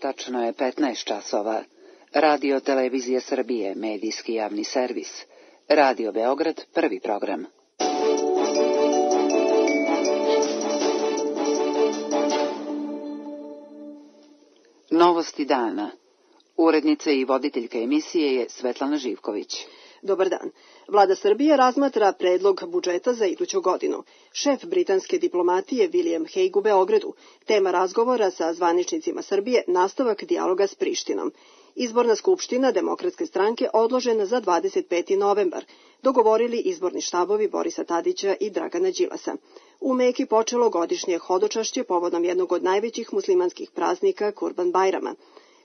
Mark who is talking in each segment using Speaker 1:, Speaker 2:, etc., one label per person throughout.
Speaker 1: Tačno je 15 časova. Radio Televizije Srbije, medijski javni servis. Radio Beograd, prvi program. Novosti dana. Urednica i voditeljka emisije je Svetlana Živković.
Speaker 2: Dobar dan. Vlada Srbije razmatra predlog budžeta za iduću godinu. Šef britanske diplomatije William Hague u Beogradu. Tema razgovora sa zvaničnicima Srbije, nastavak dijaloga s Prištinom. Izborna skupština Demokratske stranke odložena za 25. novembar. Dogovorili izborni štabovi Borisa Tadića i Dragana Đilasa. U Meki počelo godišnje hodočašće povodom jednog od najvećih muslimanskih praznika Kurban Bajrama.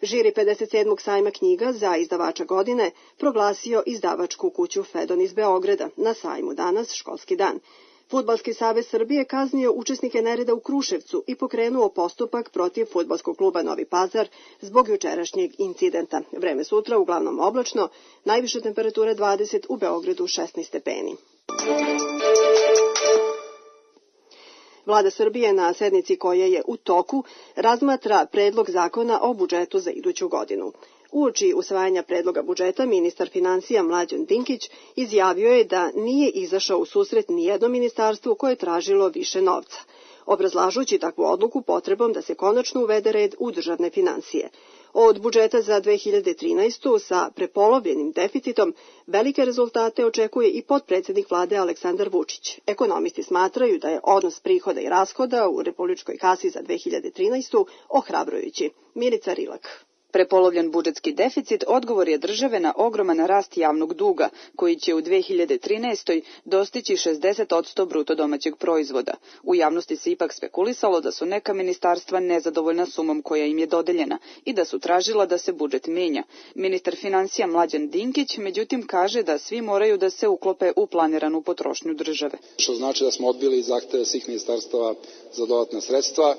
Speaker 2: Žiri 57. sajma knjiga za izdavača godine proglasio izdavačku kuću Fedon iz Beograda na sajmu danas školski dan. Fudbalski savez Srbije kaznio učesnike nereda u Kruševcu i pokrenuo postupak protiv fudbalskog kluba Novi Pazar zbog jučerašnjeg incidenta. Vreme sutra uglavnom oblačno, najviša temperatura 20, u Beogradu 16 stepeni. Vlada Srbije na sednici koja je u toku razmatra predlog zakona o budžetu za iduću godinu. Uoči usvajanja predloga budžeta, ministar finansija Mlađan Dinkić izjavio je da nije izašao u susret nijednom ministarstvu koje je tražilo više novca, obrazlažući takvu odluku potrebom da se konačno uvede red u državne finansije. Od budžeta za 2013. sa prepolovljenim deficitom velike rezultate očekuje i potpredsednik vlade Aleksandar Vučić. Ekonomisti smatraju da je odnos prihoda i rashoda u republičkoj kasi za 2013. ohrabrujući. Milica Rilak.
Speaker 3: Prepolovljen budžetski deficit odgovor je države na ogroman rast javnog duga, koji će u 2013. dostići 60% bruto domaćeg proizvoda. U javnosti se ipak spekulisalo da su neka ministarstva nezadovoljna sumom koja im je dodeljena i da su tražila da se budžet menja. Ministar finansija Mlađan Dinkić, međutim, kaže da svi moraju da se uklope u planiranu potrošnju države.
Speaker 4: Što znači da smo odbili zahteve svih ministarstava za dodatna sredstva,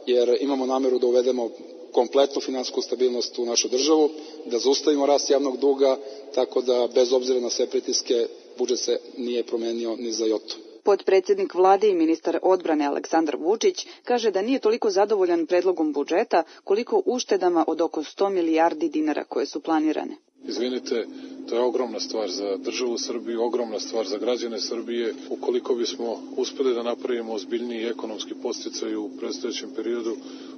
Speaker 4: jer imamo nameru da uvedemo kompletnu finansijsku stabilnost u našu državu, da zaustavimo rast javnog duga, tako da bez obzira na sve pritiske budžet se nije promenio ni za jotu.
Speaker 3: Potpredsednik vlade i ministar odbrane Aleksandar Vučić kaže da nije toliko zadovoljan predlogom budžeta koliko uštedama od oko 100 milijardi dinara koje su planirane.
Speaker 5: Izvinite, to je ogromna stvar za državu Srbiju, ogromna stvar za građane Srbije. Ukoliko bismo uspeli da napravimo ozbiljniji ekonomski podsticaj u predstojećem periodu,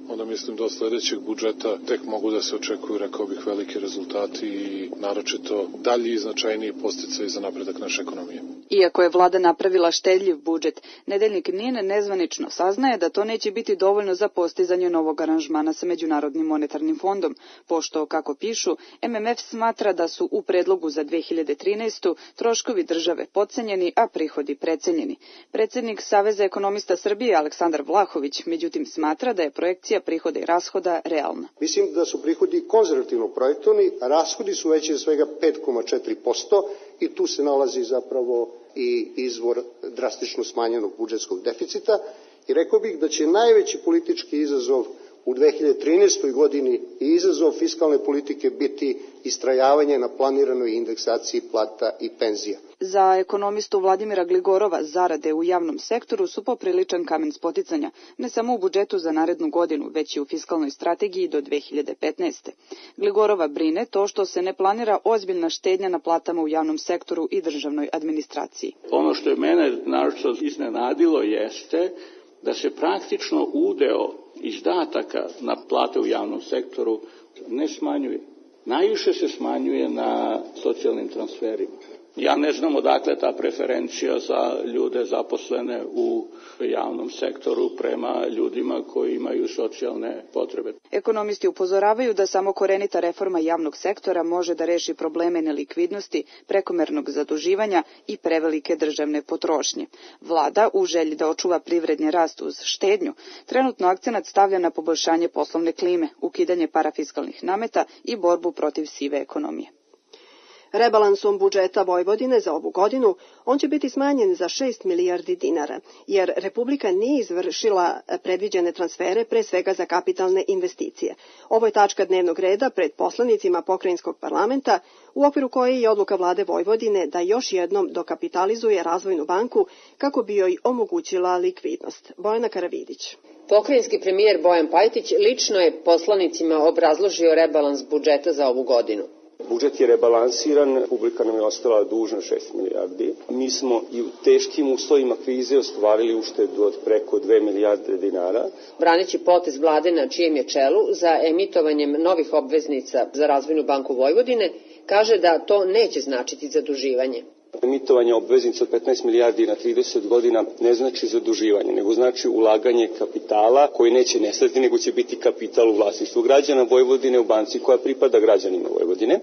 Speaker 5: onda mislim da od sledećeg budžeta tek mogu da se očekuju, rekao bih, veliki rezultati i naročito dalji i značajniji podsticaj za napredak naše ekonomije.
Speaker 3: Iako je vlada napravila štedljiv budžet, nedeljnik NIN nezvanično saznaje da to neće biti dovoljno za postizanje novog aranžmana sa Međunarodnim monetarnim fondom, pošto, kako pišu, MMF smatra da su u predlogu za 2013. troškovi države podcenjeni, a prihodi precenjeni. Predsednik Saveza ekonomista Srbije Aleksandar Vlahović, međutim, smatra da je projekcija prihoda i rashoda realna.
Speaker 6: Mislim da su prihodi konzervativno projektovani, a rashodi su veći za svega 5,4% i tu se nalazi zapravo i izvor drastično smanjenog budžetskog deficita. I rekao bih da će najveći politički izazov u 2013. godini i izazov fiskalne politike biti istrajavanje na planiranoj indeksaciji plata i penzija.
Speaker 3: Za ekonomistu Vladimira Gligorova zarade u javnom sektoru su popriličan kamen spoticanja, ne samo u budžetu za narednu godinu, već i u fiskalnoj strategiji do 2015. Gligorova brine to što se ne planira ozbiljna štednja na platama u javnom sektoru i državnoj administraciji.
Speaker 7: Ono što je mene naročito iznenadilo jeste da se praktično udeo izdataka na plate u javnom sektoru ne smanjuje. Najviše se smanjuje na socijalnim transferima. Ja ne znam odakle ta preferencija za ljude zaposlene u javnom sektoru prema ljudima koji imaju socijalne potrebe.
Speaker 3: Ekonomisti upozoravaju da samo korenita reforma javnog sektora može da reši probleme nelikvidnosti, prekomernog zaduživanja i prevelike državne potrošnje. Vlada, u želji da očuva privredni rast uz štednju, trenutno akcenat stavlja na poboljšanje poslovne klime, ukidanje parafiskalnih nameta i borbu protiv sive ekonomije.
Speaker 2: Rebalansom budžeta Vojvodine za ovu godinu on će biti smanjen za 6 milijardi dinara, jer Republika nije izvršila predviđene transfere, pre svega za kapitalne investicije. Ovo je tačka dnevnog reda pred poslanicima pokrajinskog parlamenta, u okviru koje je odluka vlade Vojvodine da još jednom dokapitalizuje Razvojnu banku kako bi joj omogućila likvidnost. Bojana Karavidić.
Speaker 8: Pokrajinski premijer Bojan Pajtić lično je poslanicima obrazložio rebalans budžeta za ovu godinu.
Speaker 9: Budžet je rebalansiran, Republika nam je ostala dužna 6 milijardi. Mi smo i u teškim uslovima krize ostvarili uštedu od preko 2 milijarde dinara.
Speaker 8: Braneći potez vlade na čijem je čelu za emitovanjem novih obveznica za Razvojnu banku Vojvodine, kaže da to neće značiti zaduživanje.
Speaker 9: Emitovanje obveznica od 15 milijardi na 30 godina ne znači zaduživanje, nego znači ulaganje kapitala koji neće nestati, nego će biti kapital u vlasništvu građana Vojvodine u banci koja pripada građanima Vojvodine.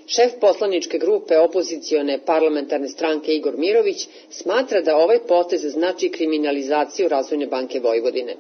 Speaker 8: Šef poslaničke grupe opozicione parlamentarne stranke Igor Mirović smatra da ovaj potez znači kriminalizaciju Razvojne banke Vojvodine.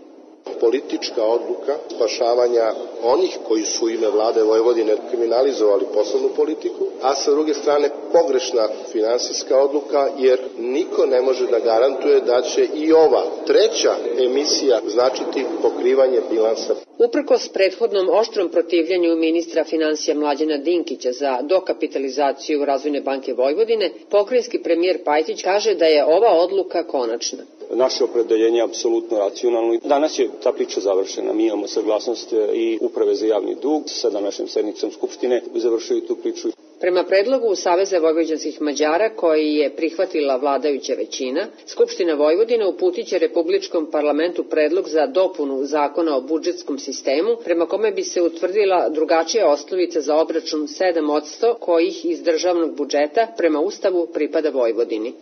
Speaker 10: Politička odluka spašavanja onih koji su u ime vlade Vojvodine kriminalizovali poslovnu politiku, a sa druge strane pogrešna finansijska odluka, jer niko ne može da garantuje da će i ova treća emisija značiti pokrivanje bilansa.
Speaker 8: Uprkos prethodnom oštrom protivljenju ministra finansija Mlađana Dinkića za dokapitalizaciju Razvojne banke Vojvodine, pokrajinski premijer Pajtić kaže da je ova odluka konačna.
Speaker 9: Naše opredeljenje je apsolutno racionalno. Danas je ta priča završena. Mi imamo saglasnost i Uprave za javni dug. Sa današnjom sednicom Skupštine završili tu priču.
Speaker 8: Prema predlogu Saveza vojvođanskih Mađara, koji je prihvatila vladajuća većina, Skupština Vojvodine uputiće Republičkom parlamentu predlog za dopunu zakona o budžetskom sistemu, prema kome bi se utvrdila drugačija osnovica za obračun 7% kojih iz državnog budžeta prema Ustavu pripada Vojvodini.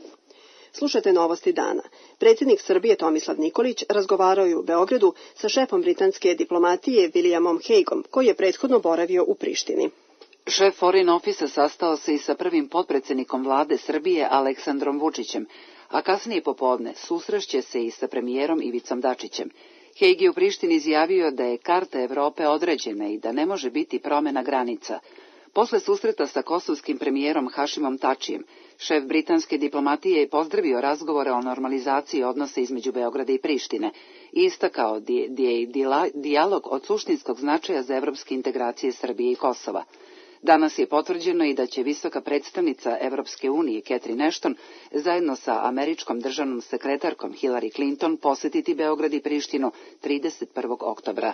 Speaker 2: Slušate novosti dana. Predsjednik Srbije Tomislav Nikolić razgovarao je u Beogradu sa šefom britanske diplomatije Williamom Hagueom, koji je prethodno boravio u Prištini.
Speaker 1: Šef Foreign Office sastao se i sa prvim potpredsjednikom vlade Srbije Aleksandrom Vučićem, a kasnije popodne susrešće se i sa premijerom Ivicom Dačićem. Hague je u Prištini izjavio da je karta Evrope određena i da ne može biti promjena granica. Posle susreta sa kosovskim premijerom Hašimom Tačijem, šef britanske diplomatije je pozdravio razgovore o normalizaciji odnosa između Beograda i Prištine i istakao dijalog od suštinskog značaja za evropske integracije Srbije i Kosova. Danas je potvrđeno i da će visoka predstavnica Evropske unije Catherine Ashton zajedno sa američkom državnom sekretarkom Hillary Clinton posjetiti Beograd i Prištinu 31. oktobra.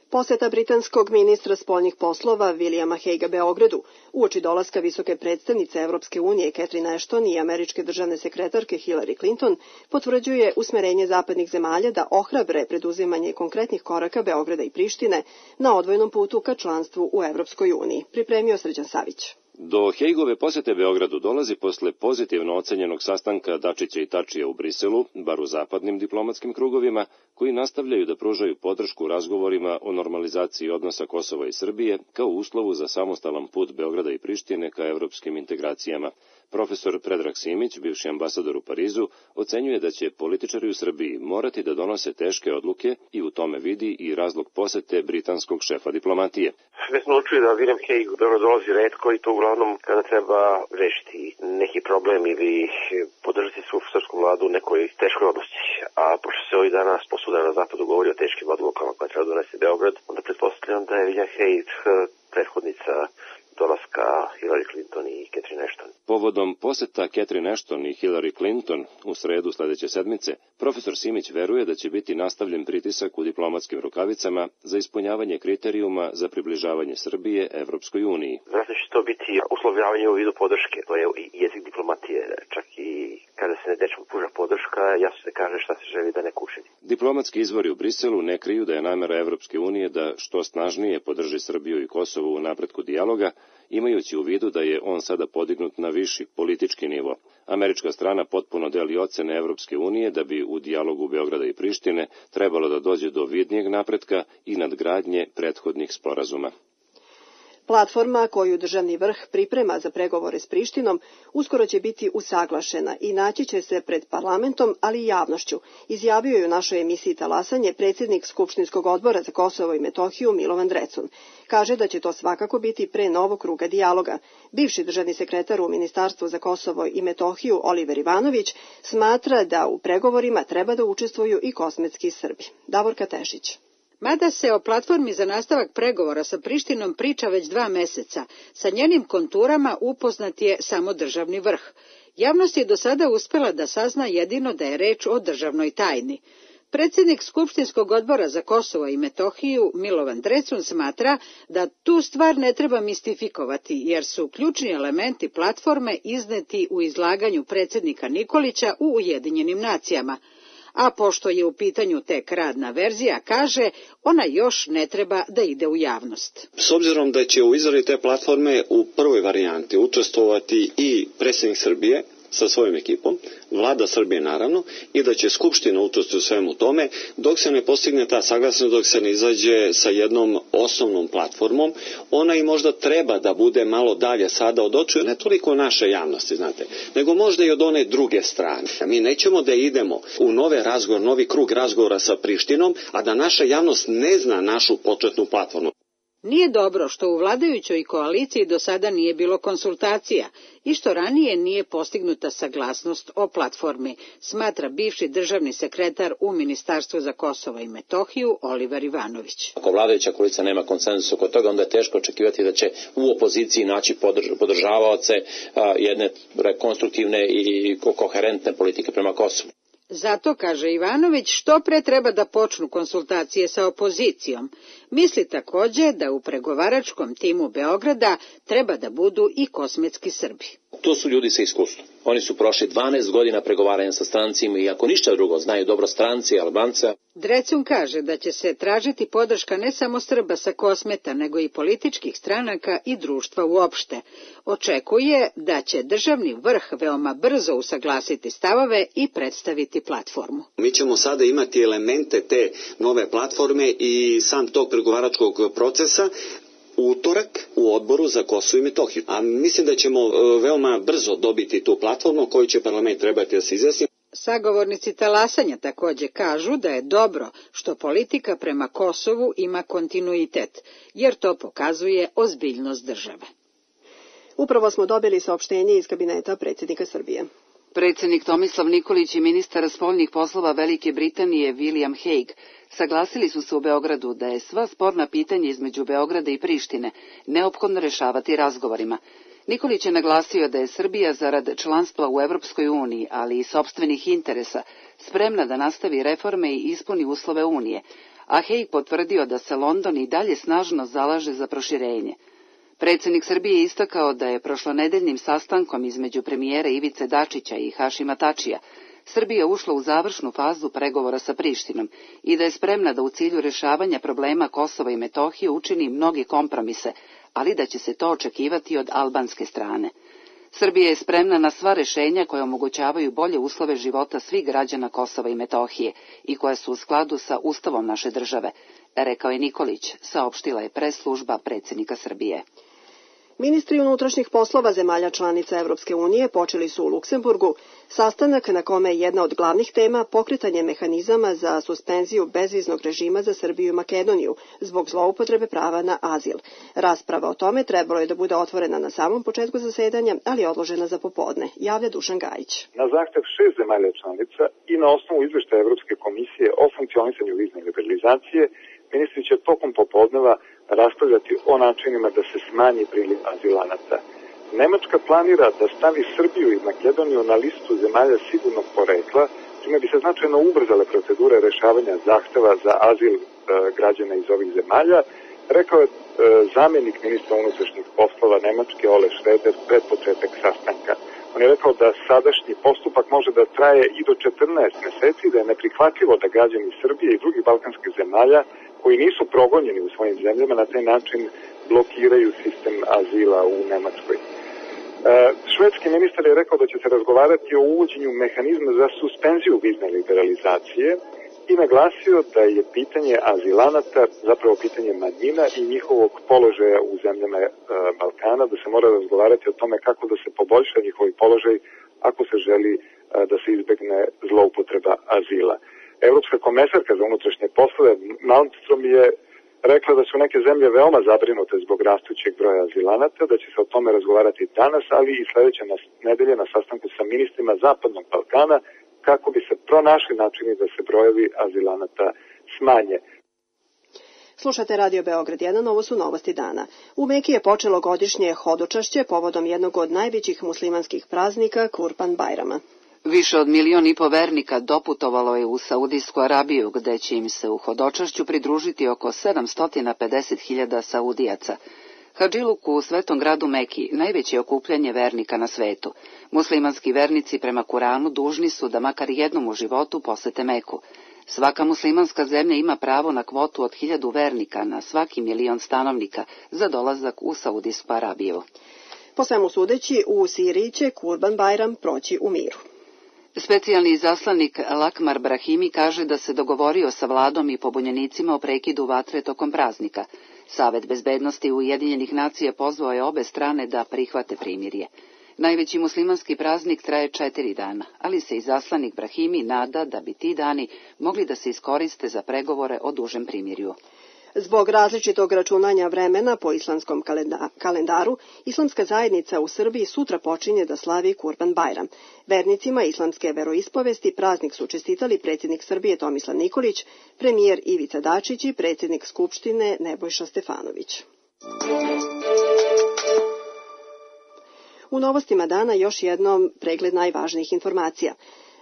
Speaker 2: Poseta britanskog ministra spoljnih poslova Williama Haguea Beogradu uoči dolaska visoke predstavnice Evropske unije Catherine Ashton i američke državne sekretarke Hillary Clinton potvrđuje usmerenje zapadnih zemalja da ohrabre preduzimanje konkretnih koraka Beograda i Prištine na odvojnom putu ka članstvu u Evropskoj uniji. Pripremio Srđan Savić.
Speaker 11: Do Hagueove posete Beogradu dolazi posle pozitivno ocenjenog sastanka Dačića i Tačija u Briselu, bar u zapadnim diplomatskim krugovima, koji nastavljaju da pružaju podršku razgovorima o normalizaciji odnosa Kosova i Srbije kao uslovu za samostalan put Beograda i Prištine ka evropskim integracijama. Profesor Predrag Simić, bivši ambasador u Parizu, ocenjuje da će političari u Srbiji morati da donose teške odluke i u tome vidi i razlog posete britanskog šefa diplomatije.
Speaker 12: Već smo učili da William Hague dolazi retko i to uglavnom kada treba rešiti neki problem ili podržati svu srpsku vladu u nekoj teškoj odluci. A pošto se ovih dana posvuda na zapadu govori o teškim odlukama koje treba donesti Beograd, onda pretpostavljam da je William Hague prethodnica dolaska Hillary Clinton i Catherine Ashton.
Speaker 11: Povodom poseta Catherine Ashton i Hillary Clinton u sredu sledeće sedmice, profesor Simić veruje da će biti nastavljen pritisak u diplomatskim rukavicama za ispunjavanje kriterijuma za približavanje Srbije Evropskoj uniji.
Speaker 12: Vjerojatno će to biti uslovljavanje u vidu podrške, to je jezik diplomatije, čak i kada se nečemu pruža podrška, jasno se kaže šta se želi da neko učini.
Speaker 11: Diplomatski izvori u Briselu ne kriju da je namera Evropske unije da što snažnije podrži Srbiju i Kosovo u napretku dijaloga, imajući u vidu da je on sada podignut na viši politički nivo. Američka strana potpuno deli ocene Evropske unije da bi u dijalogu Beograda i Prištine trebalo da dođe do vidnijeg napretka i nadgradnje prethodnih sporazuma.
Speaker 2: Platforma koju državni vrh priprema za pregovore s Prištinom uskoro će biti usaglašena i naći će se pred parlamentom, ali i javnošću, izjavio je u našoj emisiji Talasanje predsjednik Skupštinskog odbora za Kosovo i Metohiju Milovan Drecun. Kaže da će to svakako biti pre novog kruga dijaloga. Bivši državni sekretar u Ministarstvu za Kosovo i Metohiju Oliver Ivanović smatra da u pregovorima treba da učestvuju i kosmetski Srbi. Davorka Tešić.
Speaker 13: Mada se o platformi za nastavak pregovora sa Prištinom priča već 2 meseca, sa njenim konturama upoznat je samo državni vrh. Javnost je do sada uspela da sazna jedino da je reč o državnoj tajni. Predsjednik Skupštinskog odbora za Kosovo i Metohiju Milovan Drecun smatra da tu stvar ne treba mistifikovati, jer su ključni elementi platforme izneti u izlaganju predsjednika Nikolića u Ujedinjenim nacijama. A pošto je u pitanju tek radna verzija, kaže, ona još ne treba da ide u javnost.
Speaker 14: S obzirom da će u izradi te platforme u prvoj varijanti učestvovati i predsjednik Srbije sa svojom ekipom, vlada Srbije naravno, i da će Skupština učestvovati u svemu tome, dok se ne postigne ta saglasnost, dok se ne izađe sa jednom osnovnom platformom, ona i možda treba da bude malo dalje sada od očiju, ne toliko naše javnosti, znate, nego možda i od one druge strane. Mi nećemo da idemo u novi krug razgovora sa Prištinom, a da naša javnost ne zna našu početnu platformu.
Speaker 13: Nije dobro što u vladajućoj koaliciji do sada nije bilo konsultacija i što ranije nije postignuta saglasnost o platformi, smatra bivši državni sekretar u Ministarstvu za Kosovo i Metohiju Oliver Ivanović.
Speaker 15: Ako vladajuća koalicija nema konsenzus oko toga, onda je teško očekivati da će u opoziciji naći podržavaoce jedne konstruktivne i koherentne politike prema Kosovu.
Speaker 13: Zato, kaže Ivanović, što pre treba da počnu konsultacije sa opozicijom. Misli također da u pregovaračkom timu Beograda treba da budu i kosmetski Srbi.
Speaker 15: To su ljudi sa iskustvom. Oni su prošli 12 godina pregovaranja sa strancima i ako ništa drugo, znaju dobro stranci i Albanca.
Speaker 13: Drecun kaže da će se tražiti podrška ne samo Srba sa Kosmeta, nego i političkih stranaka i društva uopšte. Očekuje da će državni vrh veoma brzo usaglasiti stavove i predstaviti platformu.
Speaker 14: Mi ćemo sada imati elemente te nove platforme i sam tog pregovaračkog procesa u utorak u odboru za Kosovo i Metohiju. A mislim da ćemo veoma brzo dobiti tu platformu koju će parlament trebati da se izjasni.
Speaker 13: Sagovornici talasanja također kažu da je dobro što politika prema Kosovu ima kontinuitet, jer to pokazuje ozbiljnost države.
Speaker 2: Upravo smo dobili saopštenje iz kabineta predsjednika Srbije.
Speaker 1: Predsjednik Tomislav Nikolić i ministar spoljnih poslova Velike Britanije William Hague saglasili su se u Beogradu da je sva sporna pitanja između Beograda i Prištine neophodno rešavati razgovorima. Nikolić je naglasio da je Srbija zarad članstva u Evropskoj uniji, ali i sopstvenih interesa, spremna da nastavi reforme i ispuni uslove Unije, a Hague potvrdio da se London i dalje snažno zalaže za proširenje. Predsjednik Srbije je istakao da je prošlonedeljnim sastankom između premijera Ivice Dačića i Hašima Tačija Srbija ušla u završnu fazu pregovora sa Prištinom i da je spremna da u cilju rješavanja problema Kosova i Metohije učini mnoge kompromise, ali da će se to očekivati od albanske strane. Srbija je spremna na sva rješenja koja omogućavaju bolje uslove života svih građana Kosova i Metohije i koja su u skladu sa Ustavom naše države, rekao je Nikolić, saopštila je press-služba predsjednika Srbije.
Speaker 2: Ministri unutrašnjih poslova zemalja članica Evropske unije počeli su u Luksemburgu sastanak na kome je jedna od glavnih tema pokretanje mehanizama za suspenziju bezviznog režima za Srbiju i Makedoniju zbog zloupotrebe prava na azil. Rasprava o tome trebalo je da bude otvorena na samom početku zasedanja, ali odložena za popodne, javlja Dušan Gajić.
Speaker 16: Na zahtev 6 zemalja članica i na osnovu izveštaja Evropske komisije o funkcionisanju vizne liberalizacije, ministri će tokom popodneva raspravljati o načinima da se smanji priliv azilanata. Nemačka planira da stavi Srbiju i Makedoniju na listu zemalja sigurnog porekla, čime bi se značajno ubrzale procedure rešavanja zahteva za azil građana iz ovih zemalja, rekao je zamjenik ministra unutrašnjih poslova Nemačke Ole Schroeder pred početak sastanka. On je rekao da sadašnji postupak može da traje i do 14 meseci, da je neprihvatljivo da građani Srbije i drugih balkanskih zemalja koji nisu progonjeni u svojim zemljama na taj način blokiraju sistem azila u Nemačkoj. Švedski ministar je rekao da će se razgovarati o uvođenju mehanizma za suspenziju vizne liberalizacije i naglasio da je pitanje azilanata zapravo pitanje manjina i njihovog položaja u zemljama Balkana, da se mora razgovarati o tome kako da se poboljša njihov položaj ako se želi da se izbegne zloupotreba azila. Evropska komesarka za unutrašnje poslove Malmström je rekla da su neke zemlje veoma zabrinute zbog rastućeg broja azilanata, da će se o tome razgovarati danas, ali i sledeće nedelje na sastanku sa ministrima Zapadnog Balkana, kako bi se pronašli načini da se brojevi azilanata smanje.
Speaker 2: Slušate Radio Beograd 1, ovo su novosti dana. U Meki je počelo godišnje hodočašće povodom jednog od najvećih muslimanskih praznika Kurban Bajrama.
Speaker 1: Više od 1,5 miliona vernika doputovalo je u Saudijsku Arabiju, gde će im se u hodočašću pridružiti oko 750.000 Saudijaca. Hadžiluk u svetom gradu Meki najveće okupljanje vernika na svetu. Muslimanski vernici prema Kuranu dužni su da makar jednom u životu posete Meku. Svaka muslimanska zemlja ima pravo na kvotu od 1000 vernika na svaki 1 milion stanovnika za dolazak u Saudijsku Arabiju.
Speaker 2: Po svemu sudeći, u Siriji će Kurban Bajram proći u miru.
Speaker 1: Specijalni izaslanik Lakmar Brahimi kaže da se dogovorio sa vladom i pobunjenicima o prekidu vatre tokom praznika. Savet bezbednosti Ujedinjenih nacija pozvao je obe strane da prihvate primirje. Najveći muslimanski praznik traje 4 dana, ali se izaslanik Brahimi nada da bi ti dani mogli da se iskoriste za pregovore o dužem primirju.
Speaker 2: Zbog različitog računanja vremena po islamskom kalendaru, islamska zajednica u Srbiji sutra počinje da slavi Kurban Bajram. Vernicima islamske veroispovesti praznik su čestitali predsjednik Srbije Tomislav Nikolić, premijer Ivica Dačić i predsjednik Skupštine Nebojša Stefanović. U novostima dana još jednom pregled najvažnijih informacija.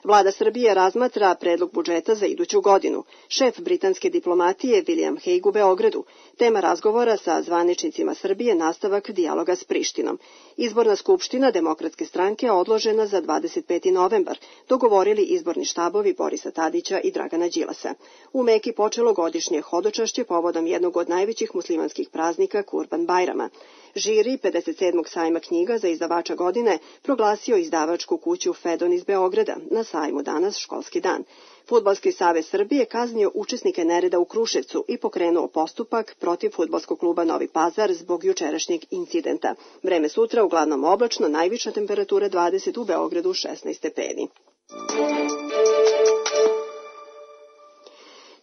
Speaker 2: Vlada Srbije razmatra predlog budžeta za iduću godinu. Šef britanske diplomatije William Hague u Beogradu. Tema razgovora sa zvaničnicima Srbije nastavak dijaloga s Prištinom. Izborna skupština Demokratske stranke odložena za 25. novembar. Dogovorili izborni štabovi Borisa Tadića i Dragana Đilasa. U Meki počelo godišnje hodočašće povodom jednog od najvećih muslimanskih praznika Kurban Bajrama. Žiri 57. sajma knjiga za izdavača godine proglasio izdavačku kuću Fedon iz Beograda, na sajmu danas školski dan. Fudbalski savez Srbije kaznio učesnike nereda u Kruševcu i pokrenuo postupak protiv fudbalskog kluba Novi Pazar zbog jučerašnjeg incidenta. Vreme sutra uglavnom oblačno, najviša temperatura 20, u Beogradu 16 stepeni.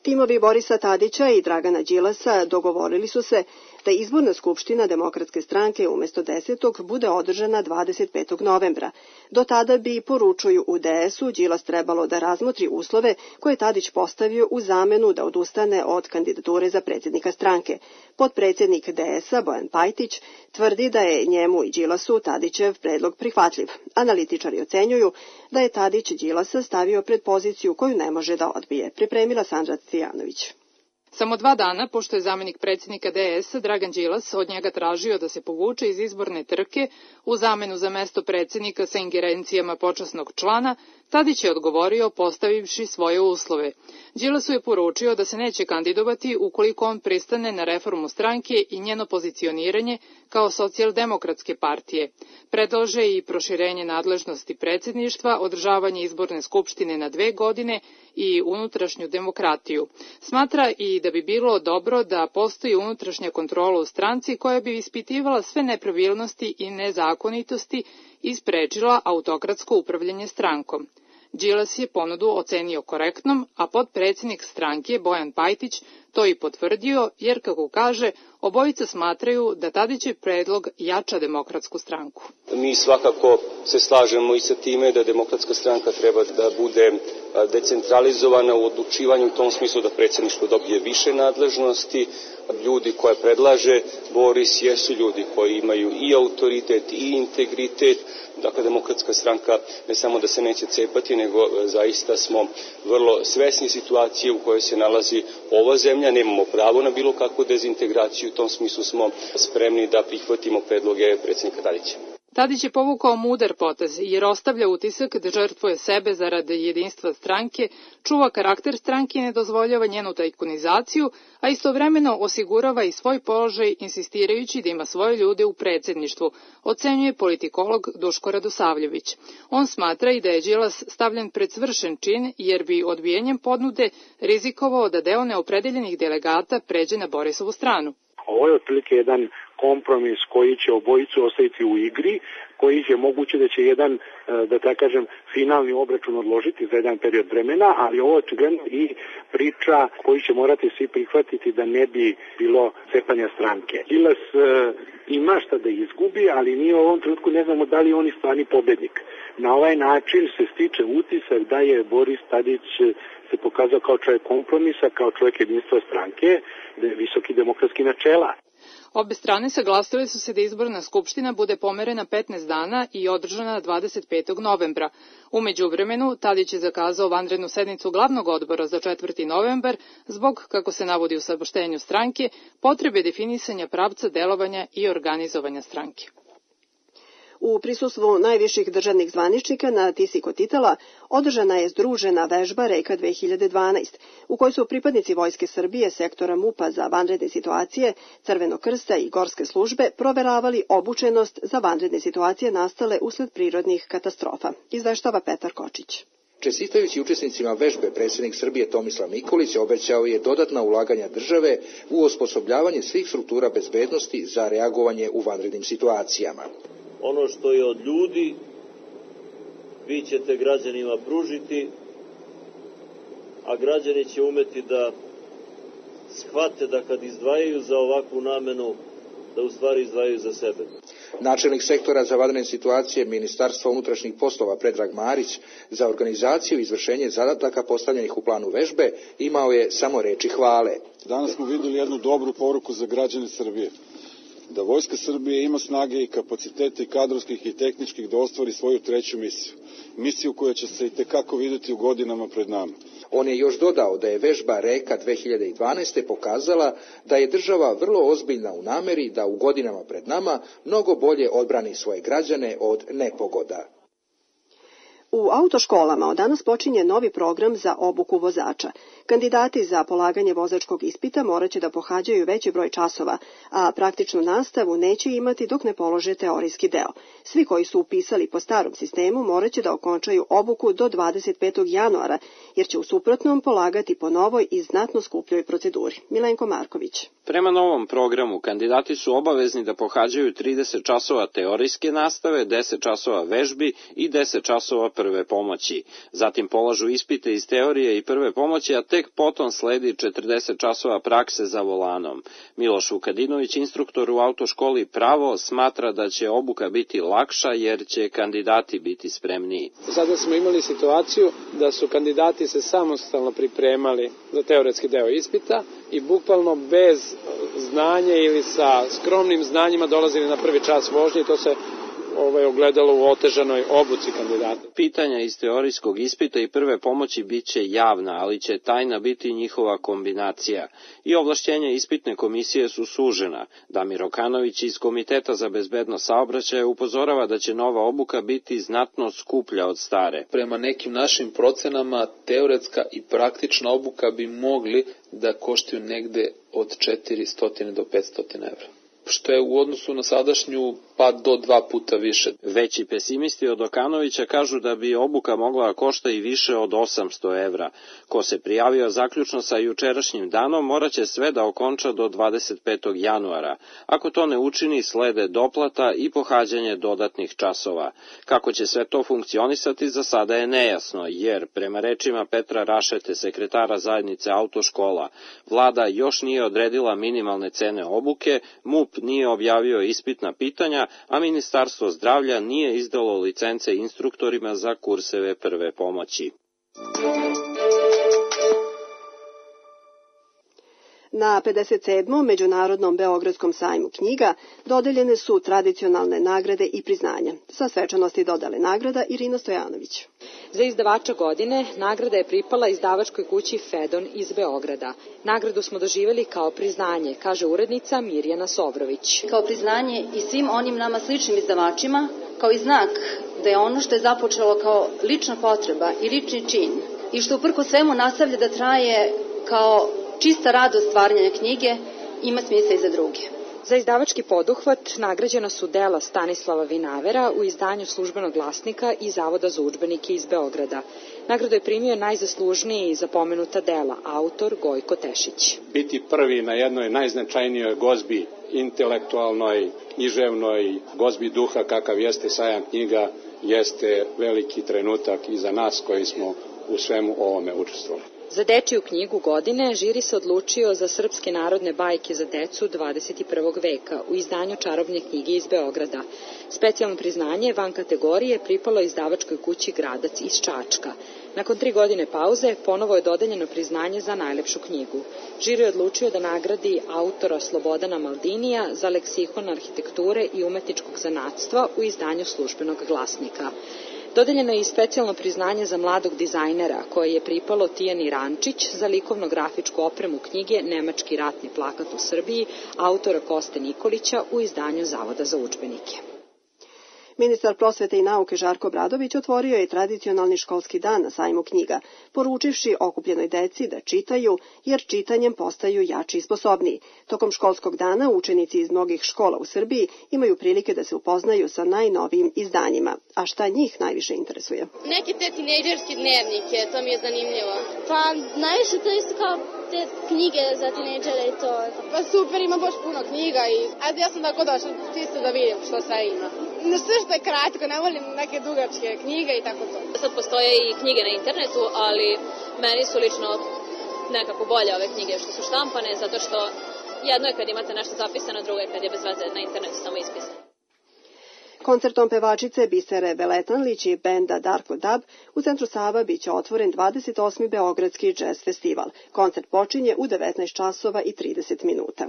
Speaker 2: Timovi Borisa Tadića i Dragana Đilasa dogovorili su se da izborna skupština Demokratske stranke umjesto 10. bude održana 25. novembra. Do tada bi, poručuju u DS-u, Đilas trebalo da razmotri uslove koje je Tadić postavio u zamenu da odustane od kandidature za predsjednika stranke. Potpredsjednik DS-a Bojan Pajtić tvrdi da je njemu i Đilasu Tadićev predlog prihvatljiv. Analitičari ocenjuju da je Tadić Đilasa stavio pred poziciju koju ne može da odbije. Pripremila Sandra Cijanović.
Speaker 17: Samo 2 dana, pošto je zamenik predsjednika DS-a Dragan Đilas od njega tražio da se povuče iz izborne trke u zamenu za mesto predsjednika sa ingerencijama počasnog člana, Tadić je odgovorio postavivši svoje uslove. Đilasu je poručio da se neće kandidovati ukoliko on pristane na reformu stranke i njeno pozicioniranje kao socijaldemokratske partije. Predlaže i proširenje nadležnosti predsjedništva, održavanje izborne skupštine na 2 godine i unutrašnju demokratiju. Smatra i da bi bilo dobro da postoji unutrašnja kontrola u stranci koja bi ispitivala sve nepravilnosti i nezakonitosti i sprečila autokratsko upravljanje strankom. Đilas je ponudu ocenio korektnom, a potpredsjednik stranke Bojan Pajtić to i potvrdio, jer, kako kaže, obojica smatraju da Tadićev predlog jača Demokratsku stranku.
Speaker 9: Mi svakako se slažemo i sa time da Demokratska stranka treba da bude decentralizovana u odlučivanju, u tom smislu da predsjedništvo dobije više nadležnosti. Ljudi koje predlaže Boris jesu ljudi koji imaju i autoritet i integritet. Dakle, Demokratska stranka ne samo da se neće cepati, nego zaista smo vrlo svesni situacije u kojoj se nalazi ova zemlja. Nemamo pravo na bilo kakvu dezintegraciju, u tom smislu smo spremni da prihvatimo predloge predsjednika Tadića.
Speaker 17: Tadić je povukao mudar potez jer ostavlja utisak da žrtvuje sebe zarad jedinstva stranke, čuva karakter stranke i ne dozvoljava njenu tajkunizaciju, a istovremeno osigurava i svoj položaj insistirajući da ima svoje ljude u predsjedništvu, ocenjuje politikolog Duško Radosavljević. On smatra i da je Đilas stavljen pred svršen čin jer bi odbijenjem ponude rizikovao da deo neopredeljenih delegata pređe na Borisovu stranu.
Speaker 16: Ovo je otprilike jedan kompromis koji će obojicu ostaviti u igri, koji je moguće da će jedan, da tako kažem, finalni obračun odložiti za jedan period vremena, ali ovo je očigledno i priča koju će morati svi prihvatiti da ne bi bilo cepanja stranke. Đilas ima šta da izgubi, ali mi u ovom trenutku ne znamo da li je on stvarni pobednik. Na ovaj način se stiče utisak da je Boris Tadić se pokazao kao čovjek kompromisa, kao čovjek jedinstva stranke, da je visoki demokratski načela.
Speaker 17: Obe strane saglasile su se da izborna skupština bude pomerena 15 dana i održana 25. novembra. U međuvremenu, Tadić je zakazao vanrednu sednicu glavnog odbora za 4. novembar zbog, kako se navodi u saopštenju stranke, potrebe definisanja pravca delovanja i organizovanja stranke.
Speaker 2: U prisustvu najviših državnih zvaničnika na Tisi kod Titela održana je združena vežba Reka 2012, u kojoj su pripadnici Vojske Srbije, sektora MUP-a za vanredne situacije, Crvenog krsta i Gorske službe proveravali obučenost za vanredne situacije nastale usled prirodnih katastrofa, izveštava Petar Kočić.
Speaker 18: Čestitajući učesnicima vežbe, predsjednik Srbije Tomislav Nikolić obećao je dodatna ulaganja države u osposobljavanje svih struktura bezbednosti za reagovanje u vanrednim situacijama.
Speaker 19: Ono što je od ljudi, vi ćete građanima pružiti, a građani će umeti da shvate da kad izdvajaju za ovakvu namenu, da u stvari izdvajaju za sebe.
Speaker 18: Načelnik sektora za vanredne situacije Ministarstva unutrašnjih poslova Predrag Marić za organizaciju i izvršenje zadataka postavljenih u planu vežbe imao je samo reči hvale.
Speaker 20: Danas smo vidjeli jednu dobru poruku za građane Srbije. Da Vojska Srbije ima snage i kapacitete i kadrovskih i tehničkih da ostvari svoju treću misiju. Misiju koja će se i tekako vidjeti u godinama pred nama.
Speaker 18: On je još dodao da je vežba Reka 2012. pokazala da je država vrlo ozbiljna u nameri da u godinama pred nama mnogo bolje odbrani svoje građane od nepogoda.
Speaker 2: U autoškolama od danas počinje novi program za obuku vozača. Kandidati za polaganje vozačkog ispita morat će da pohađaju veći broj časova, a praktičnu nastavu neće imati dok ne polože teorijski deo. Svi koji su upisali po starom sistemu morat će da okončaju obuku do 25. januara, jer će u suprotnom polagati po novoj i znatno skupljoj proceduri. Milenko Marković.
Speaker 21: Prema novom programu, kandidati su obavezni da pohađaju 30 časova teorijske nastave, 10 časova vežbi i 10 časova prve pomoći. Zatim polažu ispite iz teorije i prve pomoći, a tek potom sledi 40 časova prakse za volanom. Miloš Vukadinović, instruktor u autoškoli Pravo, smatra da će obuka biti lakša jer će kandidati biti spremniji.
Speaker 22: Sada smo imali situaciju da su kandidati se samostalno pripremali za teoretski deo ispita i bukvalno bez znanja ili sa skromnim znanjima dolazili na prvi čas vožnje i to se ogledalo u otežanoj obuci kandidata.
Speaker 21: Pitanja iz teorijskog ispita i prve pomoći bit će javna, ali će tajna biti njihova kombinacija. I ovlašćenja ispitne komisije su sužena. Damir Okanović iz Komiteta za bezbednost saobraćaja upozorava da će nova obuka biti znatno skuplja od stare.
Speaker 23: Prema nekim našim procenama, teoretska i praktična obuka bi mogli da koštaju negde od 400 do 500 evra, što je u odnosu na sadašnju pa do 2 puta više.
Speaker 21: Veći pesimisti od Okanovića kažu da bi obuka mogla košta i više od 800 evra. Ko se prijavio zaključno sa jučerašnjim danom, moraće sve da okonča do 25. januara. Ako to ne učini, slede doplata i pohađanje dodatnih časova. Kako će sve to funkcionisati, za sada je nejasno, jer, prema rečima Petra Rašete, sekretara zajednice autoškola, vlada još nije odredila minimalne cene obuke, MUP nije objavio ispitna pitanja, a Ministarstvo zdravlja nije izdalo licence instruktorima za kurseve prve pomoći.
Speaker 2: Na 57. Međunarodnom Beogradskom sajmu knjiga dodeljene su tradicionalne nagrade i priznanja. Sa svečanosti dodale nagrada Irina Stojanović.
Speaker 24: Za izdavača godine nagrada je pripala izdavačkoj kući Fedon iz Beograda. Nagradu smo doživjeli kao priznanje, kaže urednica Mirjana Sovrović.
Speaker 25: Kao priznanje i svim onim nama sličnim izdavačima, kao i znak da je ono što je započelo kao lična potreba i lični čin i što uprko svemu nastavlja da traje kao čista radost stvaranja knjige, ima smisla i za druge.
Speaker 24: Za izdavački poduhvat nagrađena su dela Stanislava Vinavera u izdanju Službenog glasnika i Zavoda za udžbenike iz Beograda. Nagradu je primio najzaslužniji za pomenuta dela, autor Gojko Tešić.
Speaker 26: Biti prvi na jednoj najznačajnijoj gozbi, intelektualnoj, književnoj, gozbi duha kakav jeste sajam knjiga, jeste veliki trenutak i za nas koji smo u svemu ovome učestvovali.
Speaker 24: Za dečiju knjigu godine žiri se odlučio za srpske narodne bajke za decu 21. veka u izdanju Čarobne knjige iz Beograda. Specijalno priznanje van kategorije pripalo izdavačkoj kući Gradac iz Čačka. Nakon 3 godine pauze, ponovo je dodeljeno priznanje za najlepšu knjigu. Žiri je odlučio da nagradi autora Slobodana Maldinija za leksikon arhitekture i umetničkog zanatstva u izdanju Službenog glasnika. Dodeljeno je i specijalno priznanje za mladog dizajnera, koje je pripalo Tijani Rančić za likovno-grafičku opremu knjige Nemački ratni plakat u Srbiji, autora Koste Nikolića u izdanju Zavoda za udžbenike.
Speaker 2: Ministar prosvete i nauke Žarko Obradović otvorio je tradicionalni školski dan na sajmu knjiga, poručivši okupljenoj deci da čitaju, jer čitanjem postaju jači i sposobniji. Tokom školskog dana učenici iz mnogih škola u Srbiji imaju prilike da se upoznaju sa najnovijim izdanjima. A šta njih najviše interesuje?
Speaker 3: Neke te tinejdžerske dnevnike, to mi je zanimljivo. Pa najviše to isto kao te knjige za tinejdžere i to.
Speaker 4: Pa super, ima baš puno knjiga i ajde ja sam tako došla čisto da vidim što sve ima. Sve što je kratko, ne volim neke dugačke knjige i tako to.
Speaker 5: Sad postoje i knjige na internetu, ali meni su lično nekako bolje ove knjige što su štampane, zato što jedno je kad imate nešto zapisano, drugo je kad je bez veze na internetu samo ispisano.
Speaker 2: Koncertom pevačice Bisere Veletanlić i benda Darko Dab u centru Sava biće otvoren 28. Beogradski džez festival. Koncert počinje u 19 časova i 30 minuta.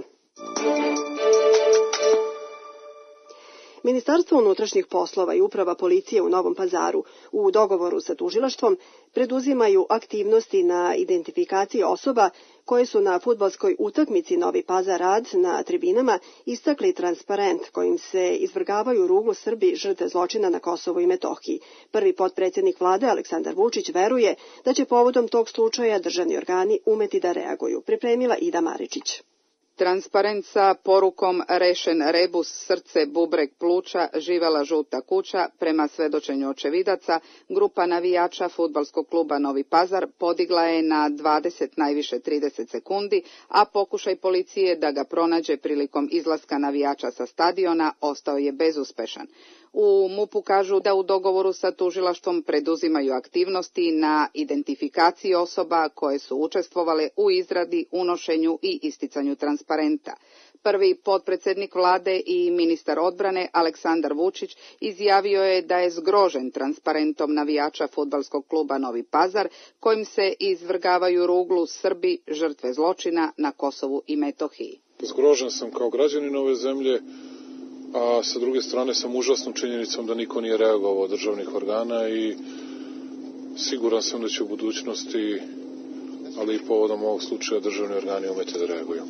Speaker 2: Ministarstvo unutrašnjih poslova i uprava policije u Novom Pazaru u dogovoru sa tužilaštvom preduzimaju aktivnosti na identifikaciji osoba koje su na fudbalskoj utakmici Novi Pazar Rad na tribinama istakli transparent kojim se izvrgavaju ruglu Srbi žrtve zločina na Kosovu i Metohiji. Prvi potpredsjednik vlade Aleksandar Vučić veruje da će povodom tog slučaja državni organi umeti da reaguju. Pripremila Ida Maričić.
Speaker 1: Transparent sa porukom rešen rebus, srce, bubreg, pluća, živela žuta kuća, prema svedočenju očevidaca, grupa navijača fudbalskog kluba Novi Pazar podigla je na 20, najviše 30 sekundi, a pokušaj policije da ga pronađe prilikom izlaska navijača sa stadiona ostao je bezuspešan. U MUP-u kažu da u dogovoru sa tužilaštvom preduzimaju aktivnosti na identifikaciji osoba koje su učestvovale u izradi, unošenju i isticanju transparenta. Prvi potpredsjednik vlade i ministar odbrane Aleksandar Vučić izjavio je da je zgrožen transparentom navijača fudbalskog kluba Novi Pazar, kojim se izvrgavaju ruglu Srbi žrtve zločina na Kosovu i Metohiji.
Speaker 6: Zgrožen sam kao građanin ove zemlje, a sa druge strane sam užasnom činjenicom da niko nije reagovao od državnih organa i siguran sam da će u budućnosti, ali i povodom ovog slučaja, državni organi umeti da reaguju.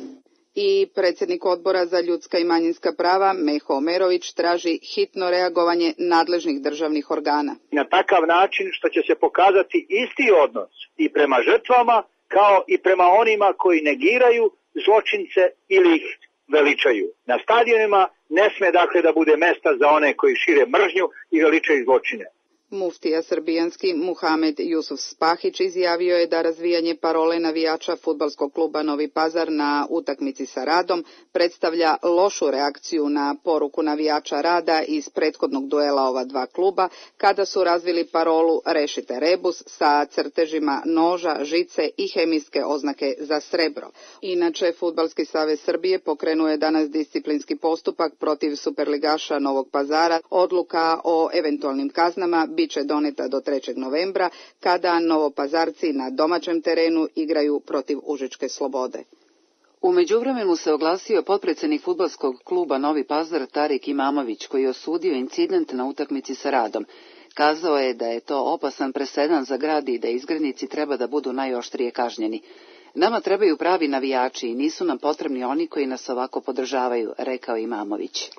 Speaker 1: I predsjednik odbora za ljudska i manjinska prava Meho Omerović traži hitno reagovanje nadležnih državnih organa.
Speaker 7: Na takav način što će se pokazati isti odnos i prema žrtvama kao i prema onima koji negiraju zločince ili ih veličaju. Na stadionima ne sme dakle da bude mesta za one koji šire mržnju i veličaju zločine.
Speaker 1: Muftija srbijanski Muhamed Jusuf Spahić izjavio je da razvijanje parole navijača fudbalskog kluba Novi Pazar na utakmici sa Radom predstavlja lošu reakciju na poruku navijača Rada iz prethodnog duela ova dva kluba, kada su razvili parolu Rešite rebus sa crtežima noža, žice i hemijske oznake za srebro. Inače, Fudbalski savez Srbije pokrenuo je danas disciplinski postupak protiv superligaša Novog Pazara. Odluka o eventualnim kaznama biće doneta do 3. novembra, kada Novopazarci na domaćem terenu igraju protiv Užičke Slobode. U međuvremenu se oglasio potpredsjednik fudbalskog kluba Novi Pazar Tarik Imamović, koji je osudio incident na utakmici sa Radom. Kazao je da je to opasan presedan za grad i da izgrednici treba da budu najoštrije kažnjeni. Nama trebaju pravi navijači i nisu nam potrebni oni koji nas ovako podržavaju, rekao Imamović.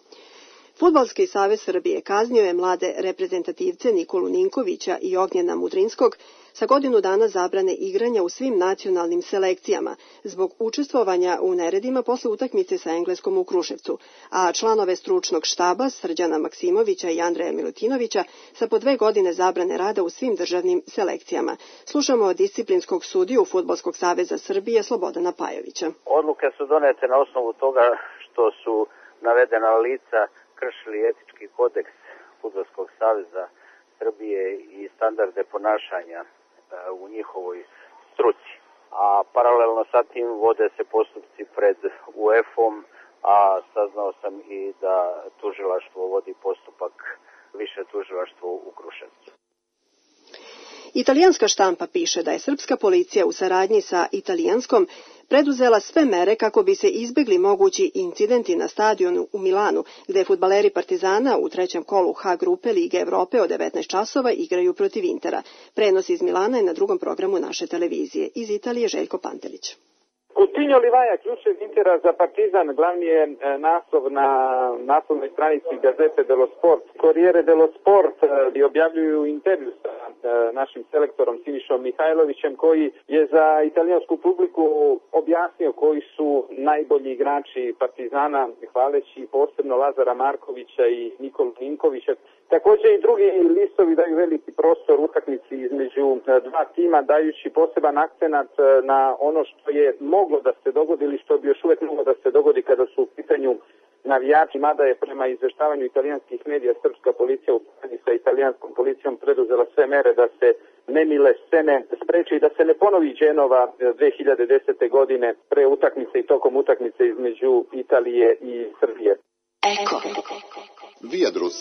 Speaker 2: Fudbalski savez Srbije kaznio je mlade reprezentativce Nikolu Ninkovića i Ognjena Mudrinskog sa godinu dana zabrane igranja u svim nacionalnim selekcijama zbog učestvovanja u neredima posle utakmice sa Engleskom u Kruševcu, a članove stručnog štaba Srđana Maksimovića i Andreja Milutinovića sa po 2 godine zabrane rada u svim državnim selekcijama. Slušamo disciplinskog sudiju Fudbalskog saveza Srbije Slobodana Pajovića.
Speaker 10: Odluke su donete na osnovu toga što su navedena lica kršili etički kodeks Fudbalskog saveza Srbije i standarde ponašanja u njihovoj struci. A paralelno sa tim vode se postupci pred UEFA-om, a saznao sam i da tužilaštvo vodi postupak, više tužilaštvo u Kruševcu.
Speaker 2: Italijanska štampa piše da je srpska policija u saradnji sa italijanskom preduzela sve mere kako bi se izbegli mogući incidenti na stadionu u Milanu, gde fudbaleri Partizana u trećem kolu H grupe Lige Evrope od 19 časova igraju protiv Intera. Prenos iz Milana je na drugom programu naše televizije. Iz Italije Željko Pantelić.
Speaker 8: Coutinho Livaja, ključev Intera za Partizan, glavni je naslov na naslovnoj stranici Gazete dello Sport. Corriere dello Sport objavljuju intervju sa našim selektorom Sinišom Mihajlovićem, koji je za italijansku publiku objasnio koji su najbolji igrači Partizana, hvaleći posebno Lazara Markovića i Nikolu Ninkovića. Također i drugi listovi daju veliki prostor utakmici između dva tima, dajući poseban akcenat na ono što je moglo da se dogodi ili što bi još uvek moglo da se dogodi kada su u pitanju navijači, mada je prema izveštavanju italijanskih medija srpska policija u saradnji sa italijanskom policijom preduzela sve mere da se nemile scene spreče i da se ne ponovi Dženova 2010. godine pre utakmice i tokom utakmice između Italije i Srbije.
Speaker 11: Eko. Viadrus.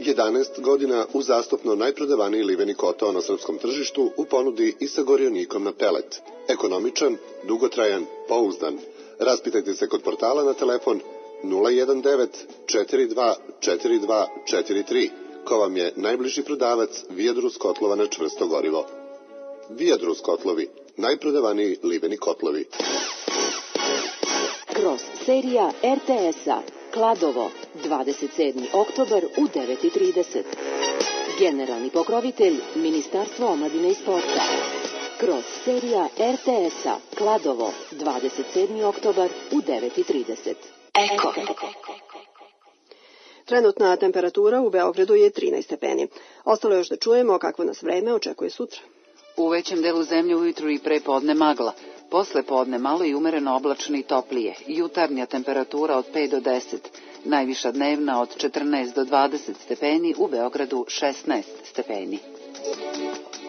Speaker 11: 11 godina uzastopno najprodavaniji liveni kotao na srpskom tržištu u ponudi i sa gorionikom na pelet. Ekonomičan, dugotrajan, pouzdan. Raspitajte se kod portala na telefon 019 42 42 43, ko vam je najbliži prodavac Viadrus kotlova na čvrsto gorivo. Viadrus kotlovi, najprodavaniji liveni kotlovi.
Speaker 12: Kroz serija RTS-a Kladovo, 27. oktobar u 9:30. Generalni pokrovitelj Ministarstvo omladine i sporta. Kroz serija RTS-a Kladovo, 27. oktobar u 9:30. Eko.
Speaker 2: Trenutna temperatura u Beogradu je 13 stepeni. Ostalo još da čujemo kakvo nas vreme očekuje sutra.
Speaker 1: U većem delu zemlje ujutru i pre podne magla. Posle podne malo i umereno oblačno i toplije. Jutarnja temperatura od 5 do 10. Najviša dnevna od 14 do 20 stepeni, u Beogradu 16 stepeni.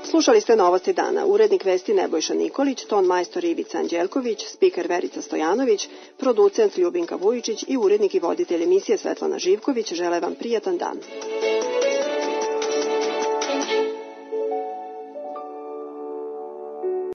Speaker 2: Slušali ste Novosti dana. Urednik vesti Nebojša Nikolić, ton majstor Ivica Anđelković, spiker Verica Stojanović, producent Ljubinka Vujičić i urednik i voditelj emisije Svetlana Živković žele vam prijatan dan.